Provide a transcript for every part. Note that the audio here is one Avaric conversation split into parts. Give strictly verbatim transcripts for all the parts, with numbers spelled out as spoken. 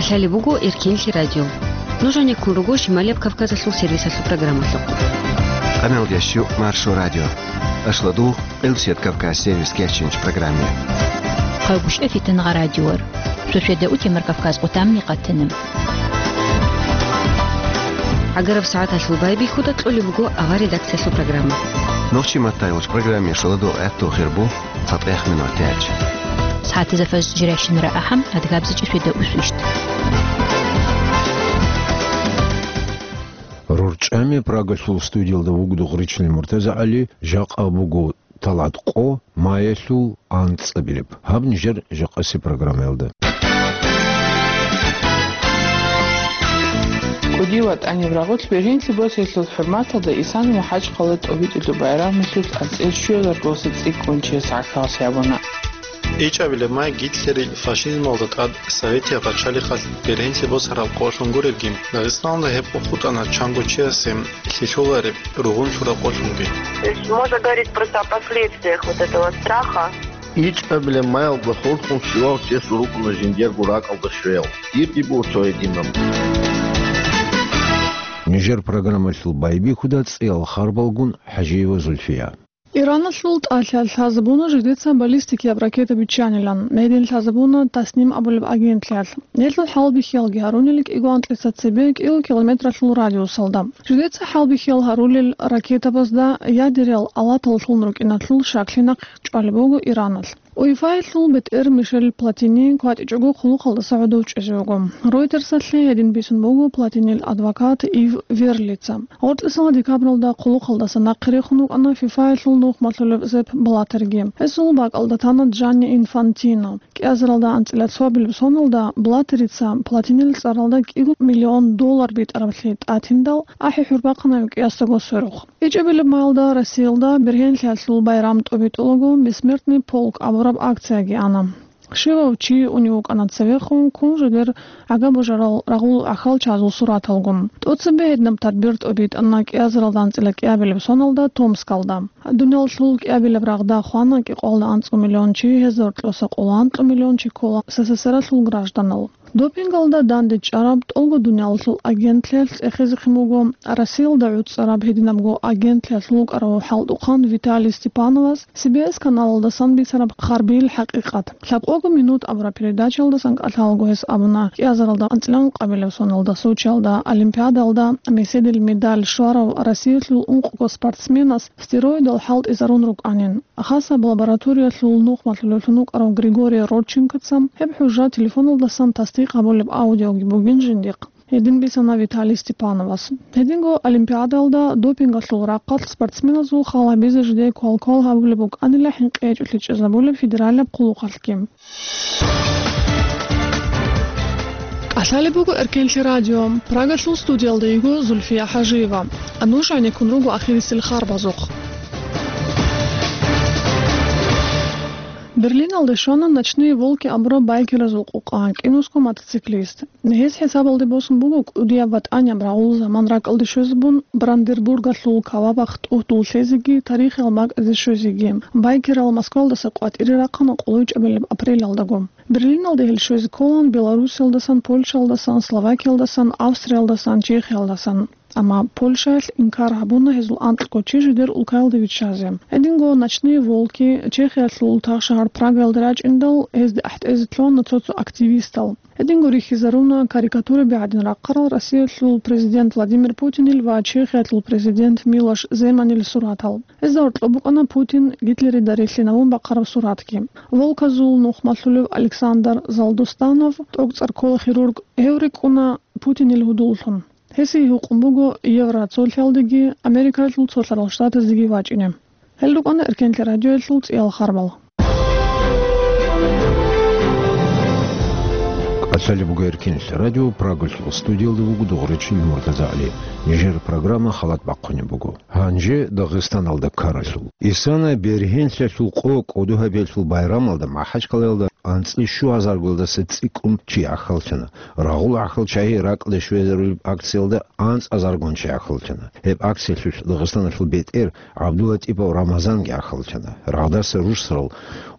Талиб буго Эркенлъи радио. Нуж гьанеккун руго Шималияб Кавказалъул сервисалъул программалъухъ. Къаналда щу Маршо радио. Ашладу Къилсият Кавказ сервис кечинч программе. Хъагушев Фитангъа радиор. Шошеда утемар Кавказ къутамни къатана. Агараб сагӀаталъул байбихьуда кьолеб буго авар редакциялъул программа. Нохчи матайулч программе шаладу гӀатту хирбу. ЦатӀехъ минутач. СагӀатизафас жиращинара ахӀам, адгабзичӀи шведа усвищт. РорчӀами Прагалъул студиялда вугдугъричил МуртазагӀали, жакъа буго талгӀат къо, маялъул анцӀабилеб. Гьаб нижер жакъаси программаялда. КӀуди ватӀаниб рагъулъ бергьенлъи босиялъул хӀурматалда Исан МухӀажкъала тӀобитӀулеб байрамалъул анцӀил щуязарго цӀикӀкӀун чияс гӀахьаллъи гьабуна. ИчӀабилеб май Гитлерил фашизмалда тӀад Советияб пачалихъалъ бергьенлъи босараб къолъун гуребги, Дагъистаналда гьеб къо хутӀана чанго чиясе лъилъулареб ругъунлъураб къолъунги. То есть можно говорить просто о последствиях вот этого страха. ИчӀабилеб майалда хурхун щивав чиясул рукӀуна жиндиего ракӀалда щвеял. Дирги буго цо гьединаб. Нижер программалъул байбихьуда цӀиял харбалгун ХӀажиева Зульфия. Ираналъул тӀалъиялъ лъазабуна жидеца баллистикияб ракета биччанилан, гьедин лъазабуна Тасним абулеб агентлъиялъ. Гьелъул хӀалбихьиялги гьарунел кӀиго анкьица цебе кӀиго километралъул радиусалда. Жидеца хӀалбихьиял гьарулел ракетабазда ядерал алатал лъун рукӀиналъул щаклъи нахъе чӀвалеб буго Ираналъ. УЕФАялъул бетӀер Мишель Платини кватӀичӀого хъулухъалдаса гӀодов чӀезе вуго. Ройтерсалъе гьедин бицун буго Платинил адвокат Ив Верлица. Гъоркьисала декабралда хъулухъалдаса нахъе рехун рукӀана ФИФАялъул нухмалъулеб Сеп Блаттерги. Гьесул бакӀалда тана Джанни Инфантино. КӀиазаралда анцӀила цоабилеб соналда Блаттерица Платинил цӀаралда кӀиго миллион доллар битӀараблъи тӀатиндал, ахӀи-хӀур бахъана гьев кӀиясдаго сверухъ. ИчӀабилеб майалда Россиялда бергьенлъиялъул байрам тӀобитӀулаго «Бессмертный полк» абураб акцияги ана. Щивав чи унев вукӀана цевехун, ккун жидер гӀага божарал рагъул ахьалчазул сураталгун. ТӀоцебе гьединаб тадбир тӀобитӀана кӀиазаралда анцӀила кӀиабилеб соналда Томскалда. Дуниялалъул кӀиабилеб рагъда хвана кӀикъоялда анцӀго миллион чи, гьезда гьоркьоса къоло анкьго миллион чи ккола СССРалъул гражданал. Допингалда дандечӀараб ТӀолго дуниялалъул агентлъиялъ цӀехезехъин буго Россиялда гӀуцӀараб гьединабго агентлъиялъул вукӀарав хӀалтӀухъан Виталий Степановас Си Би Эс каналалдасан бицараб харбил хӀакъикъат. «Лъабкъого минут» абураб передачаялдасан кӀалъалаго гьес абуна, кӀиазаралда анцӀила ункъабилеб соналда Сочиялда Олимпиадалда меседил медаль щварав Россиялъул ункъго спортсменас стероидал хӀалтӀизарун рукӀанин. Хасаб лабораториялъул нухмалъулевлъун вукӀарав Григорий Родченкоца гьеб хӀужа телефоналдасан тасдикъ гьабулеб аудиоги бугин жиндихъ. Гьедин бицана Виталий Степановас. Гьединго Олимпиадалда допингалъул рахъалъ спортсменазул хал гьабизе жидее квалквал гьабулеб букӀанила хӀинкъичӀолъи чӀезабулеб федералияб хъулухъалъги. КӀалъалеб буго Эркенлъи радио. Прагалъул студиялда йиго Зульфия ХӀажиева. Нуж гӀенеккун руго ахирисел харбазухъ. Берлиналде щвана «Ночные волки» абураб байкеразул къукъа, кӀинусго мотоциклист. Гьес хӀисабалде босун буго кӀудияб ва тӀанияб рагъул заман ракӀалде щвезабун, Бранденбургалъул кавабахъ тӀугьдул лъезеги тарихиял бакӀазе щвезеги. Байкерал Москвалдаса къватӀире рахъана къолойчӀабилеб апрелалдаго. Берлиналде гьел щвезе кколаан Белоруссиялдасан, Польшаялдасан, Словакиялдасан, Австриялдасан, Чехиялдасан. Амма Польшаялъ инкар гьабуна гьезул анкьго чи жидер улкаялде виччазе. Гьединго «Ночные волки» Чехиялъул тахшагьар Прагаялда рачӀиндал, гьезде ахӀтӀезе лъугьана цо-цо активистал. Гьединго рихьизаруна карикатураби гӀадин рахъарал Россиялъул президент Владимир Путинил ва Чехиялъул президент Милош Земанил суратал. Гьезда гьоркьоб букӀана Путин Гитлерида релълъинавун бахъараб суратги. Волказул нухмалъулев Александр Залдустанов, тӀокӀцӀар ккола хирург, гьев рикӀкӀуна Путинил гьудуллъун. Гьесие гьукъун буго Евроцолъиялдеги Америкаялъул Цолъарал Штатаздеги вачӀине. Гьел рукӀана Эркенлъи радиоялъул цӀиял харбал. КӀалъалеб буго Эркенлъи радио, Прагалъул студиялда вуго дугъричил МуртазагӀали. Нижер программа халат бахъунеб буго. Гьанже Дагъистаналда ккаралъул. Исана бергьенлъиялъул къо кӀодо гьабиялъул байрамалда МахӀачкъалаялда АнцӀила щуазаргоялдаса цӀикӀкӀун чи гӀахьаллъана. Рагъул гӀахьалчагьи ракӀалде щвезарулеб акциялда анцӀазаргун чи гӀахьаллъана. Гьеб акциялъулъ Дагъистаналъул бетӀер ГӀабдулатӀипов Рамазанги гӀахьаллъана. Рагъдаса рурсарал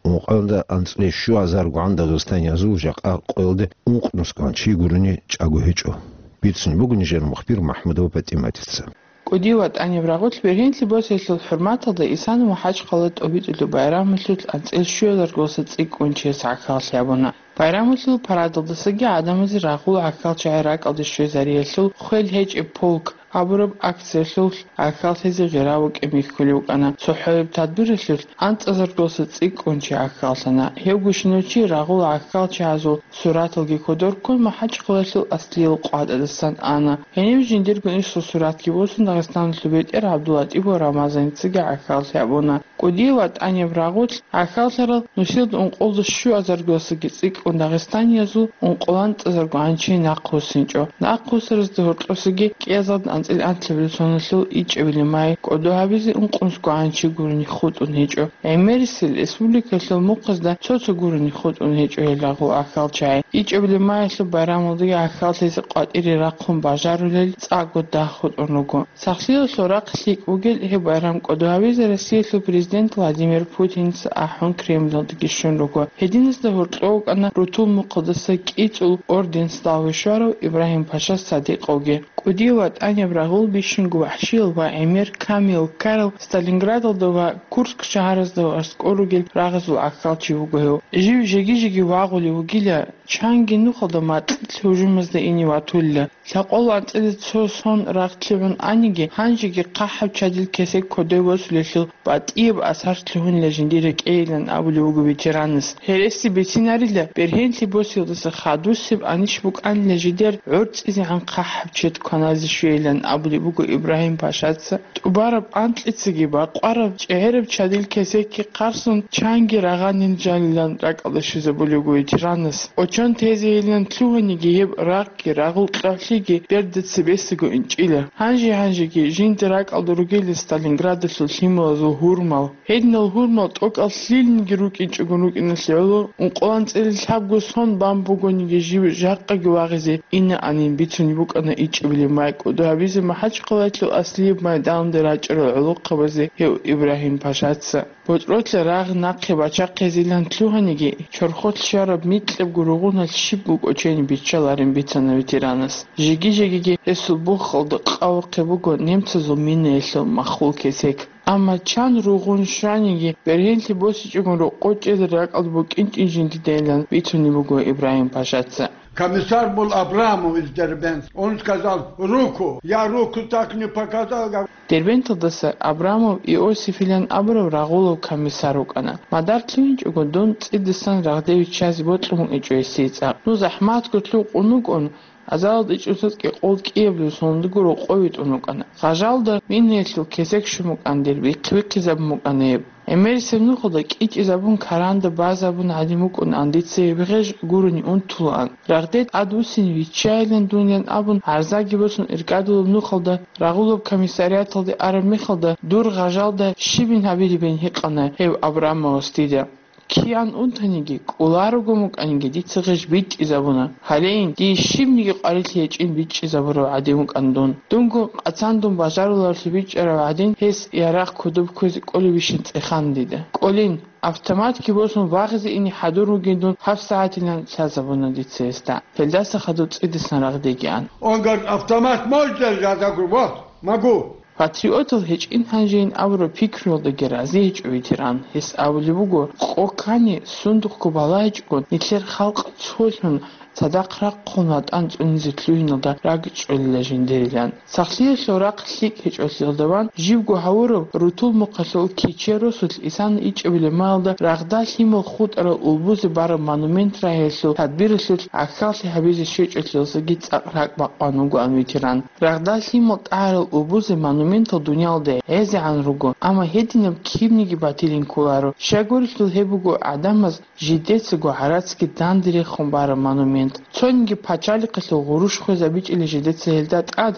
ункъоялда анцӀила щуазаргогӀан дагъистаниязул жакъа къоялде ункънусгоан чи гурони чӀаго гьечӀо. Бицунеб буго нижер мухбир МахӀмудова ПатӀиматица. КӀудияв ВатӀаниб рагъулъ бергьенлъи босиялъул хӀурматалда Исана МахӀачхъала тӀобитӀулеб байрамалъулъ анцӀила щуазаргоялдаса цӀикӀкӀун чияс гӀахьаллъи гьабуна. Байрамалъул парадалдасаги гӀадамазе рагъул гӀахьалчагьи ракӀалде щвезариялъул «Хвел гьечӀеб полк» абураб акциялъулъ гӀахьаллъизе гъирав вукӀин бихьулев вукӀана. ЦохӀояб тадбиралъулъ анцӀазаргоялдаса цӀикӀкӀун чи гӀахьаллъана. Гьев гущинав чи рагъул гӀахьалчагьазул сураталги кодор ккун МахӀачхъалаялъул аслиял къватӀадасан ана. Гьенив жиндирго инсул суратги босун Дагъистаналъул бетӀер ГӀабдулатӀипов Рамазаницаги гӀахьаллъи гьабуна. КӀудияв ВатӀаниб рагъулъ гӀахьаллъарал нусилда ункъоялда щуазаргоялдасаги цӀикӀкӀун дагъистаниязул ункъоялда анцӀазаргогӀан чи нахъвуссинчӀо. Нахъвуссаразда гьоркьосаги кӀиазда анцӀила анлъабилеб соналъул ичӀабилеб май кӀодо гьабизе ункънусгогӀан чи гурони хутӀун гьечӀо. ГӀемерисел республикалъул мухъазда цо-цо гурони хутӀун гьечӀо гьел рагъул гӀахьалчагьи. ИчӀабилеб майялъул байрамалдаги гӀахьаллъизе къватӀире рахъун бажарулел цӀакъго дагь хутӀун руго. Сахлъиялъул рахъ лъикӀ бугел гьеб байрам кӀодо гьабизе Россиялъул президент Владимир Путинца ахӀун Кремлалдеги щун руго. Гьединазда гьоркьов вукӀана рутул мухъалдаса кӀицӀул орден Славы щварав Ибрагьим-паша Садикъовги. КӀудияв ВатӀаниб рагъул бищунго вахӀшиял ва гӀемер камиял ккарал Сталинградалда ва Курск шагьаразда аскӀор ругел рагъазул гӀахьалчи вуго гьев. Жив жеги-жеги вагъулев вугила, чанги нухалда макьилъ гьужумазда ине ватулила. Лъакъол анцӀила цо сон рагъ лъугӀун аниги, гьанжеги хъахӀаб чадил кесек кодов восулелъул батӀияб асар лъугьунила жиндир рекӀейилан абулев вуго ветеранас. Гьереси бицинарила, бергьенлъи босиялдаса хадусеб анищ букӀанила жидер гӀорцӀизегӀан хъахӀаб чед кваназе щвейилан абулеб буго Ибрагьим-пашаца. ТӀубараб анкьицаги бакъвараб чӀегӀераб чадил кесекги хъарсун чанги рагъанин жанилан ракӀалде щвезабулеб буго ветеранас. Очон тезейилан лъугьаниги гьеб рагъги рагъул кьагьлъиги берда цебесего инчӀила. Гьанже-гьанжеги жинда ракӀалда ругила Сталинградалъул лъималазул гьурмал. Гьединал гьурмал тӀокӀал лъилниги рукӀинчӀого рукӀиналъе гӀоло, ункъоялда анцӀила лъабго сон бан бугониги жив жакъаги вагъизе инаанин бицунеб букӀана ичӀабилеб май кӀодо гьабизе МахӀачхъалаялъул аслияб майданалде рачӀарал гӀолохъабазе гьев Ибрагьим-пашаца. БутӀрулъа рагъ нахъе бачахъизилан лъугьаниги, чорхолъ щвараб микьабго ругъуналъ щибго кӀочени биччаларин бицана ветеранас. Жеги-жегиги гьесул бухалда къавухъе буго немцазул минаялъул маххул кесек. Амма чан ругъун щваниги, бергьенлъи босичӀогун рокъов чӀезари ракӀалда букӀинчӀин жиндидайилан бицунеб буго Ибрагьим-пашаца. Комиссар был Абрамов из Дербент. Он сказал: «Руку». Я руку так не показал, как Дербенталдаса Абрамов Иосифилан абурав рагъулав комиссар вукӀана. Мадар лъугьинчӀого дун цӀидасан рагъде виччазе бокьун вукӀинчӀо гьесие цӀакъ. Ну захӀматго лъукъун вукӀун, азалалда ичӀоса кӀикъоялда кӀиабилеб соналдаго рокъов витӀун вукӀана. Гъажалда минаялъул кесек щун букӀана дир, бихъ-бихъизабун букӀана гьеб. ГӀемерисеб нухалда кӀичӀезабун, каранда базабун гӀадин вукӀунаан дица гьеб гъеж гурони унтулаан. Рагъде тӀадвуссине виччайилан дунилан абун гӀарзаги босун иркӀадулеб нухалда, рагъулаб комиссариаталде араб мехалда дур гъажалда щибин гьабилебин гьикъана гьев Абрамовас дида. Киян унтаниги, кӀоларого мукӀаниги дица гъеж бичӀчӀизабуна. Гьалейин, дие щибниги къварилъи гьечӀин бичӀчӀизабурав гӀадин вукӀан дун. Дунго къацандун бажаруларевлъи бичӀчӀарав гӀадин, гьес ярагъ кодоб кквезе кӀолебищин цӀехана дида. КӀолин, автоматги босун вагъизе ине хӀадур вугин дун гьаб сагӀатилан лъазабуна дица гьесда. Гьелдаса хадуб цӀидасан рагъдеги ан. Он говорит: «Автомат можешь держать?» Я говорю: «Вот, могу». Патриотал гьечӀин гьанжейин абураб пикруялдаги рази гьечӀо ветеран. Гьес абулеб буго, къо ккани, сундухъго балагьичӀого, нилъер халкъ цолъун, цадахъ рахъун ватӀан цӀунизе лъугьиналда ракӀчӀолила жиндирилан. Сахлъиялъул рахъ лъикӀ гьечӀолъиялда ван, живго гьавурав рутул мухъалъул кичер росулъ Исана ичӀабилеб маялда рагъда лъимал хутӀарал улбузе бараб монумент рагьиялъул тадбиралъулъ гӀахьаллъи гьабизе щвечӀолъиялдасаги цӀакъ ракӀ бакъван вугоан ветеран. Рагъда лъимал тӀагӀарал улбузе монументал дуниялалда гӀезегӀан руго, амма гьединаб кибниги батилин кколаро. Щайгурелъул гьеб буго гӀадамаз жидецаго гӀарацги данде рехун бараб монумент. Цониги пачалихъалъул гъурущ хвезабичӀила жидеца гьелда тӀад,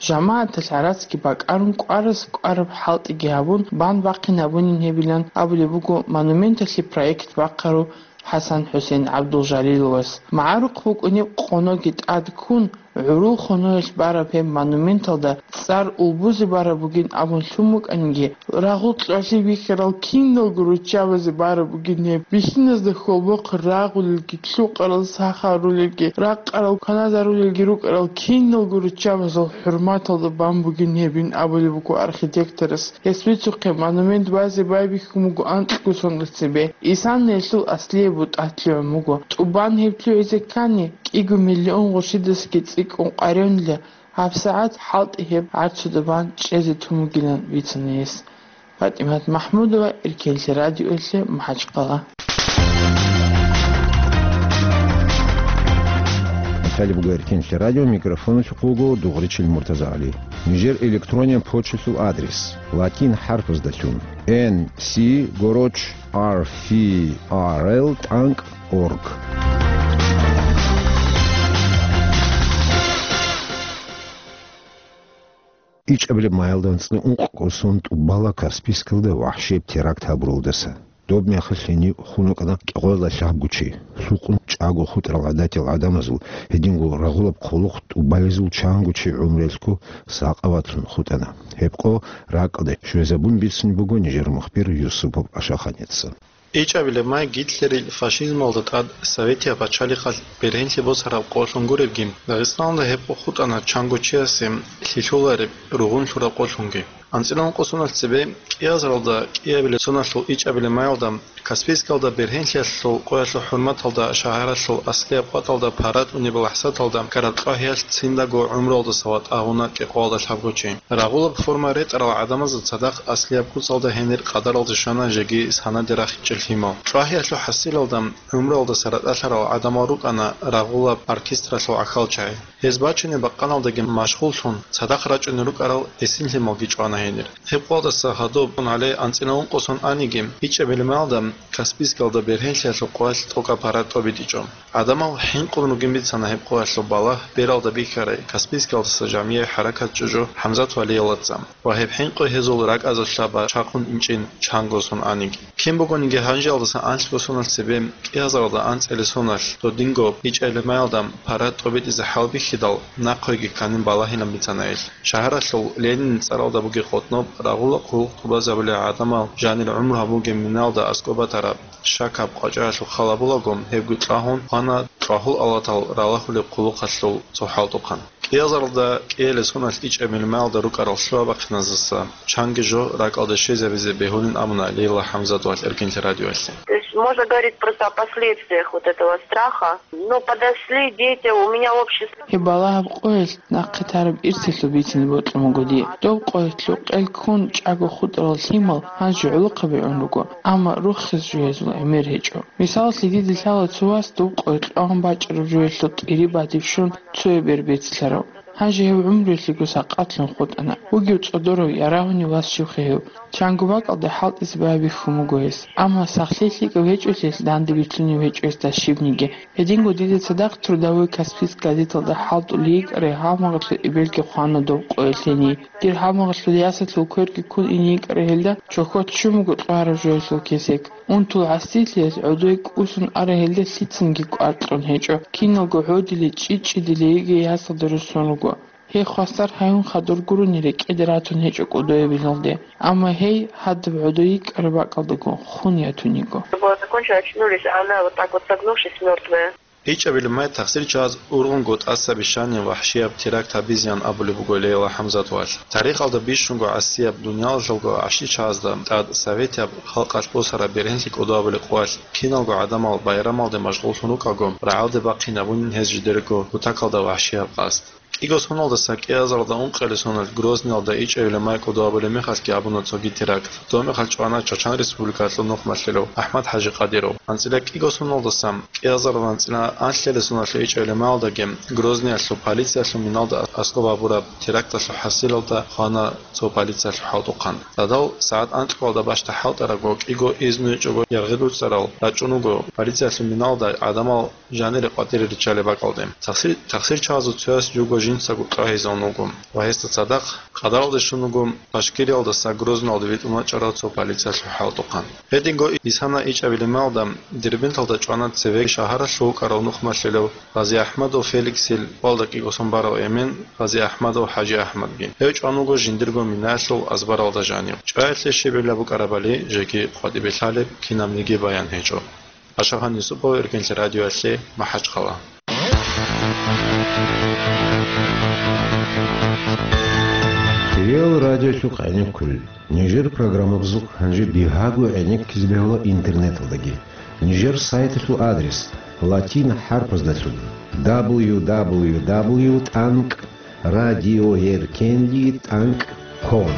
жамагӀаталъ гӀарацги бакӀарун, кӀварас кӀвараб хӀалтӀиги гьабун, бан бахъин гьабунин гьебилан абулеб буго монументалъе проект бахъарав ХӀасан-ХӀусен ГӀабдулжалиловас. МагӀарухъ букӀунеб къоноги тӀад ккун, гӀурул хоноялъ бараб гьеб монументалда цӀар улбузе бараб бугин абун лъун букӀаниги, рагъул кьвалъи бихьарал киналго руччабазе бараб бугин гьеб. Бихьиназда хьолбохъ рагъулелги, лъукъарал сахарулелги, ракъарал кваназарулелги рукӀарал киналго руччабазул хӀурматалда бан бугин гьебин абулеб буго архитекторас. Гьес бицухъе монумент базе байбихьун буго анкьго соналъ цебе. Исанна гьелъул аслияб бутӀа лъугӀун буго. ТӀубан гьеб лъугӀизе ккани, кӀиго миллион гъурщидасги цӀикӀкӀун къваригӀунила, гьабсагӀат хӀалтӀи гьеб гӀарцуда бан чӀезе тун бугилан бицана гьес. ПатӀимат МахӀмудова, Эркенлъи радиоялъе, МахӀачхъала. Италия буго Эркенлъи радио, микрофоналъухъ вуго Дугъричил МуртазагӀали. Нижер электрониян почталъул адрес: латин хӀарпаздалъун, Н С городч ар фи ар эл тӀанкӀ орг. ИчӀабилеб майалда анцӀила ункъго сон тӀубала Каспийскалда вагьшияб теракт гьабуралдаса. Доб мехалъ гьенив хун вукӀана кӀикъоялда лъабго чи. Лъукъун чӀаго хутӀарал гӀадатиял гӀадамазул гьединго рагъулаб хъулухъ тӀубалезул чанго чи гӀумруялъго сакъаватлъун хутӀана. Гьеб къо ракӀалде щвезабун бицунеб буго нижер мухбир Юсупов Ашаханица. ИчӀабилеб май Гитлерил фашизмалда тӀад Советияб пачалихъалъ бергьенлъи босараб къолъун гуребги, Дагъистаналда гьеб къо хутӀана чанго чиясе лъилъулареб ругъун лъураб къолъунги. АнцӀила ункъо соналъ цебе кӀиазаралда кӀиабилеб соналъул ичӀабилеб майалда Каспийскалда бергьенлъиялъул къоялъул хӀурматалда шагьаралъул аслияб къватӀалда парад унеб лахӀзаталда ккараб ЦӀвагьиялъ циндаго гӀумруялдаса ватӀа гьуна кӀикъоялда лъабго чи. Рагъулаб форма ретӀарал гӀадамазда цадахъ аслияб куцалда гьенир къадаралде щвана жеги санаде рахичӀел лъимал. ЦӀвагьиялъул хӀасилалда гӀумруялдаса ратӀалъарал гӀадамал рукӀана рагъулаб оркестралъул гӀахьалчагӀи. Гьез бачунеб бакъаналдаги машгъуллъун, цадахъ рачӀунел рукӀарал гӀисин лъималги чӀвана гьенир. Гьеб къоялдаса гьадуб гьале анцӀила ункъо сон аниги, ичӀабилеб майалда Каспийскалда бергьенлъиялъул къоялъ тӀокӀаб парад тӀобитӀичӀо. ГӀадамал хӀинкъун ругин бицана гьеб къоялъул балагь бералда бихьарай Каспийскалдаса жамгӀияй хӀаракат чӀужу ХӀамзат Валиялаца ва гьеб хӀинкъи гьезул ракӀазда лъаба чвахун инчӀин чанго сон аниги. Кин бугониги гьанжеялдаса анлъго соналъ цебе кӀиазаралда анцӀила соналъ додинго ичӀабилеб майалда парад тӀобитӀизе хӀалбихьидал, нахъеги кканин балагьилан бицана гьелъ. Шагьаралъул Ленинил цӀаралда бугеб къотӀноб рагъула хъулухъ тӀубазабулел гӀадамал жанир гӀумру гьабугеб миналда аскӀоб батараб щакаб къвачӀаялъул хал гьабулаго, гьебги кьвагьун хвана тӀагъул алатал ралагьулеб хъулухъалъул цо хӀалтӀухъан. КӀиазаралда кӀиабилеб соналъ ичӀабилеб майалда рукӀарал лъугьа-бахъиназдаса чанги жо ракӀалде щвезабизе бегьулин абуна Лейла ХӀамзатовал Эркенлъи радиоялъе. То есть можно говорить просто о последствиях вот этого страха. Ну, подошли дети, у меня общий сын. Гьеб балагьаб къоялъ нахъе тараб ирсалъул бицине бокьун буго дие. Доб къоялъ кьел ккун чӀаго хутӀарал лъимал гьанже гӀолохъаби гӀун руго, амма руххизе жо гьезул гӀемер гьечӀо. Мисалалъе, дида лъала цо вас доб къоялъ кьван бачӀараб жоялъул тӀири бадиб щун цояб бер бецлъарав. Гьанже гьев гӀумруялъего сакъатлъун хутӀана. Вугев цӀодорав, ярагьунев вас щивха гьев? Чанго бакӀалде хӀалтӀизе байбихьун буго гьес. Амма сахлъи лъикӀав гьечӀолъиялъ данде бицунев гьечӀо гьесда щибниги. Гьединго дида цадахъ «Трудовой Каспийск» газеталда хӀалтӀулей йикӀарай гьалмагъалъул эбелги хвана доб къоялъ гьенив. Дир гьалмагъалъул ясалъул кверги ккун ине йикӀарай гьелда чохьо ччун буго кьвараб жоялъул кесек. Унтул гӀасилъиялъ гӀодой кӀусун арай гьелда лъицанги кӀвар кьун гьечӀо, киналго гӀодилей, чӀи-чӀидилей йигей ясалда руссун руго. Гьей хвасар гьаюн хадур гурони рекӀеде ратун гьечӀо кӀудояб биналде. Амма гьей гьадаб гӀодой йикӀараб бакӀалдаго хун ятун йиго. Закончили, очнулись, а она вот так вот согнувшись, мертвая. ИчӀабилеб май тахсирчияз ургъунго тӀаса бищани вагьшияб теракт гьабизеян абулеб буго Лейла ХӀамзатовал. Тарихалда бищунго гӀасияб, дуниялалъулго гӀащичагӀазда тӀад советияб халкъалъ босараб бергьенлъи кӀодо гьабулеб къоялъ киналго гӀадамал байрамалде машгъуллъун рукӀаго, рагӀалде бахъинабунин гьез жидерго кутакалда вагьшияб къасд. КӀиго соналдаса кӀиазаралда ункъелесоналъ Грозниялда ичӀабилеб май кӀодо гьабулеб мехалъги гьабуна цоги теракт. Доб мехалъ чӀвана Чачан Республикалъул нухмалъулав АхӀмад-ХӀажи Къадиров. АнцӀила кӀиго соналдаса кӀиазаралда анцӀила анлъелесоналъул ичӀабилеб майалдаги Грозниялъул полициялъул миналда аскӀоб гьабураб теракталъул хӀасилалда хвана цо полициялъул хӀалтӀухъан. Радал сагӀат анкьабалда бащда хӀалтӀарабго, кӀиго изну гьечӀого яргъи дуцӀарал рачӀун вуго полициялъул миналда гӀадамал жанире къватӀире риччалеб бакӀалде. Тахсир-, тахсирчагӀазул цояс живго жинцаго тӀагьизавун вуго ва гьесда цадахъ къадаралде щун вуго Башкириялдаса Грозныйалде витӀун вачӀарав цо полициялъул хӀалтӀухъан. Гьединго исана ичӀабилеб мехалда Дербенталда чӀвана цеве шагьаралъув вукӀарав нухмалъилав Гъазиахмадов Феликсил валда кӀиго сон барав эмен Гъазиахмадов ХӀажиахмадги. Гьев чӀван вуго жиндирго минаялъул азбаралда жанив. ЧӀваялъе щиб гӀилла букӀарабали жеги къватӀибе лъалеб, кинабниги баян гьечӀо. Ашагъан Юсупов, Эркенлъи радиоялъе, МахӀачхъала. Кирил радиолъухъ гӀенеккулел. Нижер программабазухъ гьанже бигьаго гӀенеккизе бегьула интернеталдаги. Нижер сайталъул адрес латин хӀарпаздалъун: дабл ю дабл ю дабл ю тӀанкӀ радиоэркенли тӀанкӀ ком.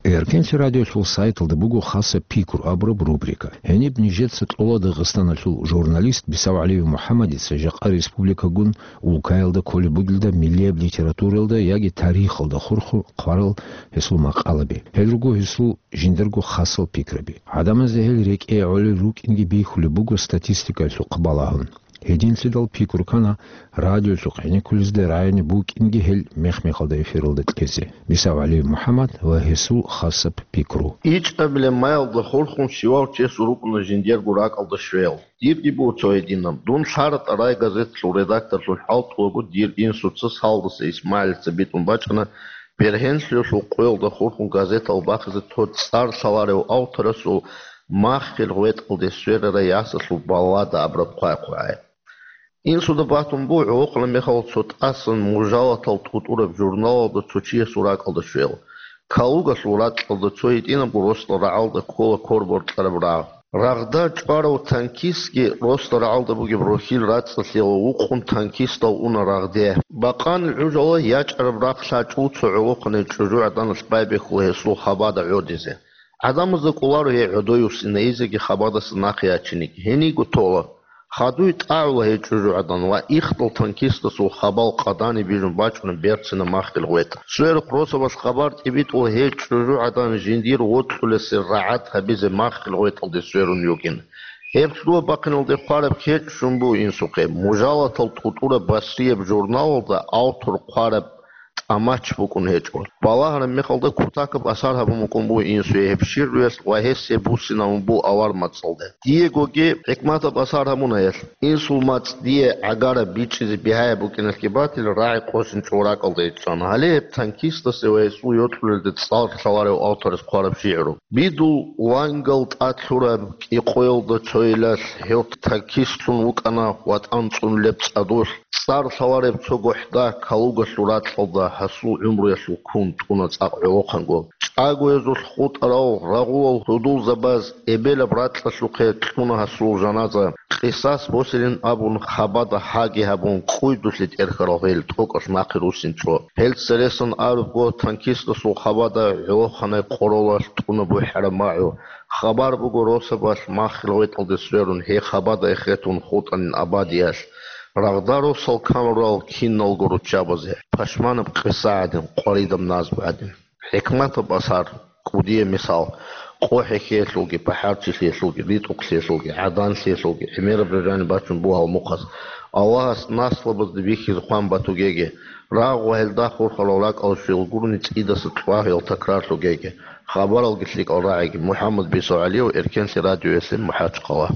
Эркенлъи радиолъул сайталда буго хасаб пикру абураб рубрика. Гьениб нижеца кьола Дагъистаналъул журналист БицаугӀалиев МухӀаммадица жакъа республикагун улкаялда кколеб бугелда миллияб литературалда яги тарихалда хурхун хъварал гьесул макъалаби. Гьел руго гьесул жиндирго хасал пикраби. ГӀадамазда гьел рекӀее гӀолел рукӀинги бихьулеб буго статистикаялъухъ балагьун. Гьединлъидал пикру ккана радиолъухъ гӀенеккулезда рагӀине букӀинги гьел мех-мехалда эфиралда кьезе. БицаугӀалиев МухӀаммад ва гьесул хасаб пикру. ИчӀабилеб маялда хурхун щивав чиясул рукӀуна жиндирго ракӀалда щвел. Дирги буго цо гьединаб. Дун лъаратӀа рай газеталъул редакторлъун хӀалтӀулаго дир инсуца Салдаса ИсмагӀилица битӀун бачӀана бергьенлъиялъул къоялда хурхун газетал бахъизе цо цӀар лъаларев авторасул маххил гъветӀалде сверарай ясалъул баллада абураб хъвай-хъвай. Инсуда батун буго гӀолохъанаб мехалда цо тӀасан мужалатал тӀутӀураб журналалда цо чиясул ракӀалда щвел. Калугалъул ракьалда цо гьитӀинабго росла рагӀалда ккола кор боркьараб рагъ. Рагъда чӀварав танкистги росла рагӀалда бугеб рохьил рацӀцӀалъиялда вукъун танкистал уна рагъде. Бакъанил гӀужалда ячӀараб рахъ лъачӀул цо гӀолохъанай чӀужугӀаданалъ байбихьула гьесул хабада гӀодизе. ГӀадамазда кӀоларо гьей гӀодове, синайизеги хабадаса нахъе ячиниги. Гьениго тола. Хадуй тӀагӀула гьей чӀужугӀадан ва ихдал танкистасул хабал къадани бижун бачӀуна берцинаб маххил гъветӀ. Сверухъ росабалъ хабар тӀибитӀула гьей чӀужугӀадан жиндир вокьулесел рагӀад гьабизе маххил гъветӀалде сверун йугин. Гьеб лъугьа-бахъиналде хъвараб кечӀ щун буго инсухъе. Мужалатал тӀутӀураб басрияб журналалда автор хъвараб тӀамач букӀун гьечӀо. Балагьараб мехалда кутакаб асар гьабун букӀун буго инсуе гьеб шигӀруялъ ва гьесие буссинабун буго авар мацӀалда. Диегоги хӀикматаб асар гьабуна гьелъ. Инсул мацӀ дие гӀагараб бичӀчӀизе бигьаяб букӀиналъги батил, рагӀи къосинчӀого ракӀалда ичӀчӀана. Гьале гьеб танкистасе ва гьесул йокьулелде цӀар лъаларев авторас хъвараб шигӀру. Бидул вангал тӀад лъураб кӀикъоялда цойилалъ гьев танкистлъун вукӀана ватӀан цӀунулеб цӀадулъ. ЦӀар лъалареб цо гохӀда Калугалъул ракьалда гьасул гӀумруялъул ккун тӀуна цӀакъ гӀолохъанго. ЧӀагоязулъ хутӀарал рагъулал гьудулзабаз эбелаб ракьалъухъе кьуна гьасул жаназа. Къисас босилин абун, хабада гьаги гьабун, кӀуйдулъе тӀерхьарал гьел тӀокӀалъ нахъе руссинчӀо. Гьел цересан абурабго, танкистасул хабада гӀолохъанай къоролалъ тӀуна бухӀараб магӀу. Хабар буго росабалъ маххил гъветӀалде сверун, гьей хабада эхетун хутӀанин абадиялъ. Рагъда росал камурал киналго руччабазе, пашманаб къиса гӀадин, къваридаб назму гӀадин. ХӀикматаб асар, кӀудияб мисал, къо хӀехьеялъулги, пахӀарчилъиялъулги, ритӀухълъиялъулги, гӀаданлъиялъулги, гӀемераб рижани бачун буго гьал мухъаз. Аллагьас наслабазда бихьизе хъван батугеги, рагъ ва гьелда хурхарал ракӀал щвел гурони цӀидаса цӀвагьуял такрарлъугеги. Хабаралги лъикӀал рагӀиги. МухӀаммад БицаугӀалиев, Эркенлъи радиоялъе, МахӀачхъала.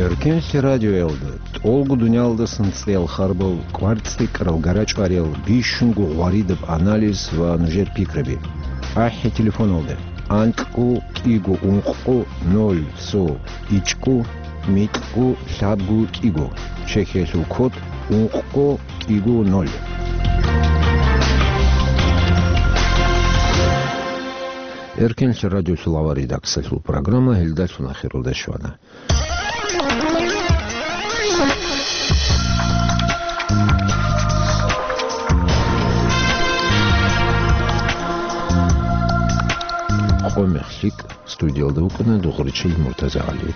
Эркенлъи радиоялда тӀолго дуниялдасан цӀеял харбал, кӀвар-цӀикӀкӀарал, гара-чӀвариял, бищунго гъваридаб анализ ва нужер пикраби. АхӀи телефоналда: анкьго кӀиго ункъго ноль цо ичӀго микьго лъабго кӀиго, чехьиялъул код ункъго кӀиго ноль. Эркенлъи радиолъул авар редакциялъул программа гьелдалъун ахиралде щвана. Къо мехлъи Студиялда вукӀана Дугъричил МуртазагӀали.